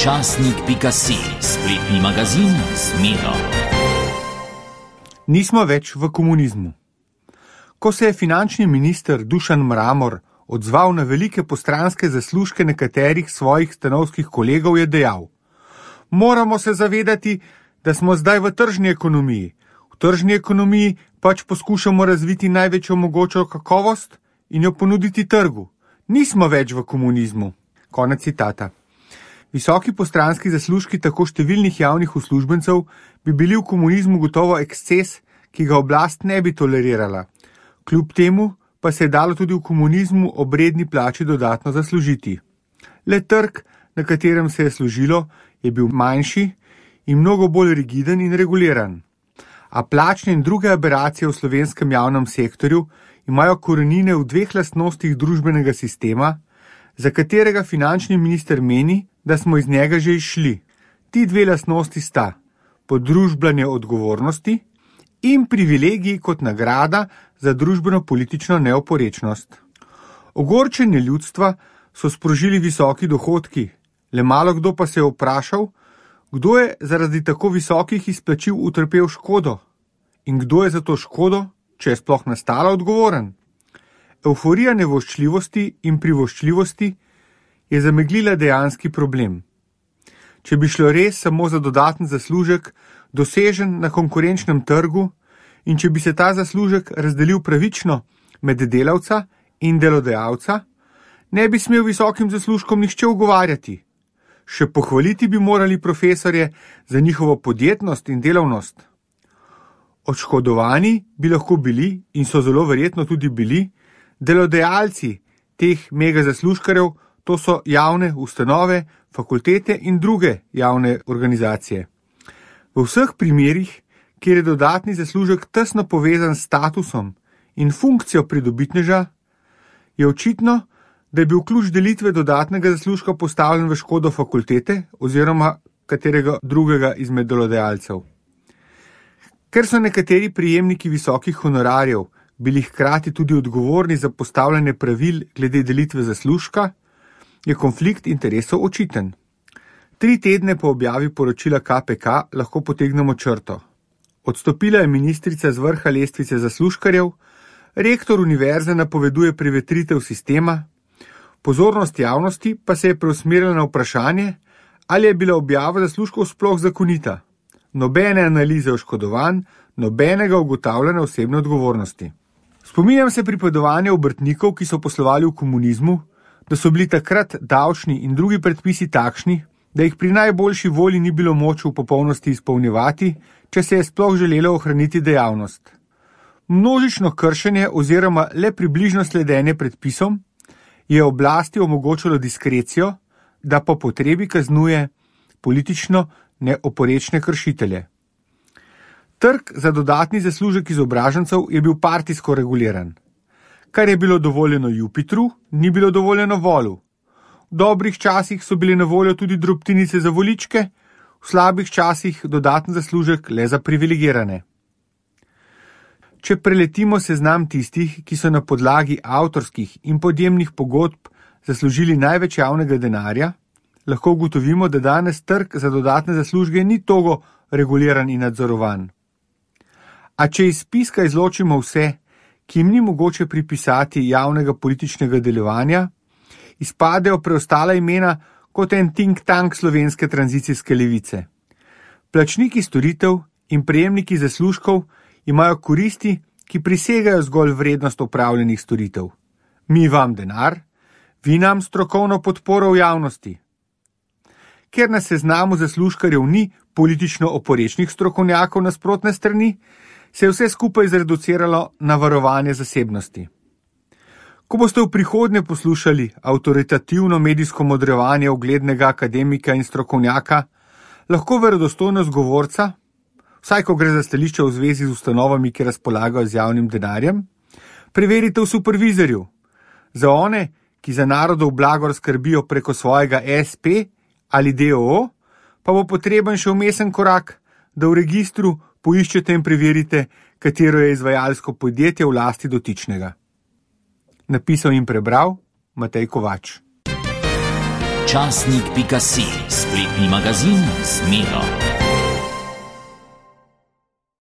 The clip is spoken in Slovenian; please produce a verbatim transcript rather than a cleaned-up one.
časnik pika si, spletni magazin z Miro. Nismo več v komunizmu. Ko se je finančni minister Dušan Mramor odzval na velike postranske zaslužke nekaterih svojih stanovskih kolegov, je dejal: moramo se zavedati, da smo zdaj v tržni ekonomiji. V tržni ekonomiji pač poskušamo razviti največjo mogočo kakovost in jo ponuditi trgu. Nismo več v komunizmu. Konec citata. Visoki postranski zaslužki tako številnih javnih uslužbencev bi bili v komunizmu gotovo eksces, ki ga oblast ne bi tolerirala. Kljub temu pa se je dalo tudi v komunizmu ob redni plači dodatno zaslužiti. Le trg, na katerem se je služilo, je bil manjši in mnogo bolj rigiden in reguliran. A plačne in druge aberacije v slovenskem javnem sektorju imajo korenine v dveh lastnostih družbenega sistema, za katerega finančni minister meni, da smo iz njega že izšli. Ti dve lastnosti sta podružbljanje odgovornosti in privilegiji kot nagrada za družbeno-politično neoporečnost. Ogorčenje ljudstva so sprožili visoki dohodki, le malo kdo pa se je vprašal, kdo je zaradi tako visokih izplačil utrpel škodo in kdo je za to škodo, če je sploh nastala, odgovoren. Evforija nevoščljivosti in privoščljivosti je zameglila dejanski problem. Če bi šlo res samo za dodaten zaslužek, dosežen na konkurenčnem trgu, in če bi se ta zaslužek razdelil pravično med delavca in delodajalca, ne bi smel visokim zaslužkom nihče ugovarjati. Še pohvaliti bi morali profesorje za njihovo podjetnost in delavnost. Odškodovani bi lahko bili, in so zelo verjetno tudi bili, delodajalci teh mega zaslužkarjev, to so javne ustanove, fakultete in druge javne organizacije. V vseh primerih, kjer je dodatni zaslužek tesno povezan s statusom in funkcijo pridobitneža, je očitno, da je bil ključ delitve dodatnega zaslužka postavljen v škodo fakultete oziroma katerega drugega izmed delodajalcev. Ker so nekateri prejemniki visokih honorarjev bili hkrati tudi odgovorni za postavljanje pravil glede delitve zaslužka, je konflikt interesov očiten. Tri tedne po objavi poročila K P K lahko potegnemo črto. Odstopila je ministrica z vrha lestvice zaslužkarjev, rektor univerze napoveduje prevetritev sistema, pozornost javnosti pa se je preusmerila na vprašanje, ali je bila objava zaslužkov sploh zakonita. Nobene analize oškodovanj, nobenega ugotavljanja osebne odgovornosti. Spominjam se pripovedovanja obrtnikov, ki so poslovali v komunizmu, da so bili takrat davčni in drugi predpisi takšni, da jih pri najboljši volji ni bilo moč v popolnosti izpolnjevati, če se je sploh želelo ohraniti dejavnost. Množično kršenje oziroma le približno sledenje predpisom je oblasti omogočilo diskrecijo, da po potrebi kaznuje politično neoporečne kršitelje. Trg za dodatni zaslužek izobražencev je bil partijsko reguliran. Kar je bilo dovoljeno Jupitru, ni bilo dovoljeno Volu. V dobrih časih so bile na voljo tudi drobtinice za voličke, v slabih časih dodaten zaslužek le za privilegirane. Če preletimo seznam tistih, ki so na podlagi avtorskih in podjemnih pogodb zaslužili največ javnega denarja, lahko ugotovimo, da danes trg za dodatne zaslužke ni togo reguliran in nadzorovan. A če iz spiska izločimo vse, ki jim ni mogoče pripisati javnega političnega delovanja, izpadejo preostala imena kot en think tank slovenske tranzicijske levice. Plačniki storitev in prejemniki zaslužkov imajo koristi, ki prisegajo zgolj vrednost opravljenih storitev. Mi vam denar, vi nam strokovno podporo v javnosti. Ker na seznamu zaslužkarjev ni politično oporečnih strokovnjakov nasprotne strani, se je vse skupaj zreduciralo na varovanje zasebnosti. Ko boste v prihodnje poslušali avtoritativno medijsko modrevanje uglednega akademika in strokovnjaka, lahko verodostojnost govorca, vsaj ko gre za stališče v zvezi z ustanovami, ki razpolagajo z javnim denarjem, preverite v supervizorju. Za one, ki za narodov blagor skrbijo preko svojega es pe ali de o o, pa bo potreben še vmesen korak, da v registru poiščete in preverite, katero je izvajalsko podjetje v lasti dotičnega. Napisal in prebral Matej Kovač. Časnik pika si, spletni magazin z Miro.